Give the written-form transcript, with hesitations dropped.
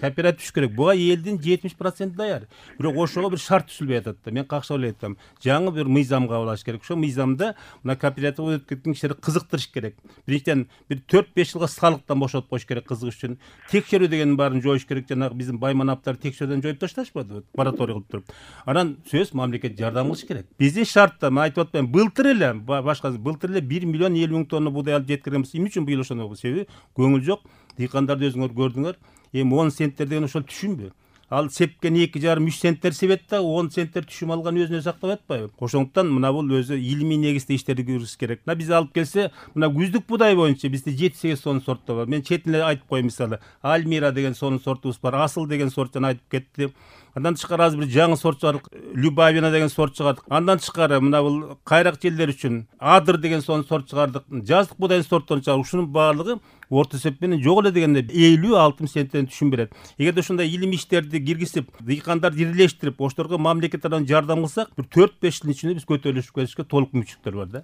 кооператив түшүш керек. Буга элдин 70% даяр. Бирок ошого бир шарт түзүлбөй атат да. Мен какча ойлойт атам. Жаңы бир мыйзам кабыл алыш керек. Ошо мыйзамда мына кооператив өтүп кеткен кишилерди кызыктырыш керек. Биринчиден бир 4-5 жылга салыктан бошотуп коюш керек кызыгыш үчүн. Текшерүү дегенин баарын жоюш керек. Жанагы биздин байманаптар текшерүүдөн жоюп ташташпадыбы? Мораторий кылып туруп. Анан сөз мамлекет жардам кылыш керек. Биздин шартта мен айтып атпайм, былтыр эле былтыр эле 1 миллион 50 мың тонна буудай алып жеткиргенбиз. Эмне үчүн быйыл ошондой болду? Себеби көңүл жок. Дыйкандарды өзүңөр көрдүңөр. Эми 10 центтер деген ошол түшүнбү? Ал сепкен 2,5-3 центтер себет да 10 центтер түшүм алган өзүнө сактап атпайбы? Ошондуктан мына бул өзү илимий негизде иштерди жүргүзүш керек. Мына биз алып келсе, мына күздүк будай боюнча бизде 7-8 сонун сорттор бар. Мен четин эле айтып коеюн, мисалы, Альмира деген сонун сортубуз бар, Асыл деген сорт жана айтып кетти. Андан тышкары азыр бир жаңы сорт чыгардык, Любавина деген сорт чыгардык. Андан тышкары мына бул кайрак жерлер үчүн Адыр деген сонун сорт чыгардык. Жаздык будайдын сортторун чыгардык. Ушунун баардыгы орто эсеп менен жок эле дегенде 50-60 центтен түшүм берет. Эгерде ушундай илимий иштерди киргизип, дыйкандарды ирилештирип, ошолорго мамлекет тарабынан жардам кылсак, бир 4-5 жылдын ичинде биз көтөрүлүшкө толук мүмкүнчүлүктөр бар да.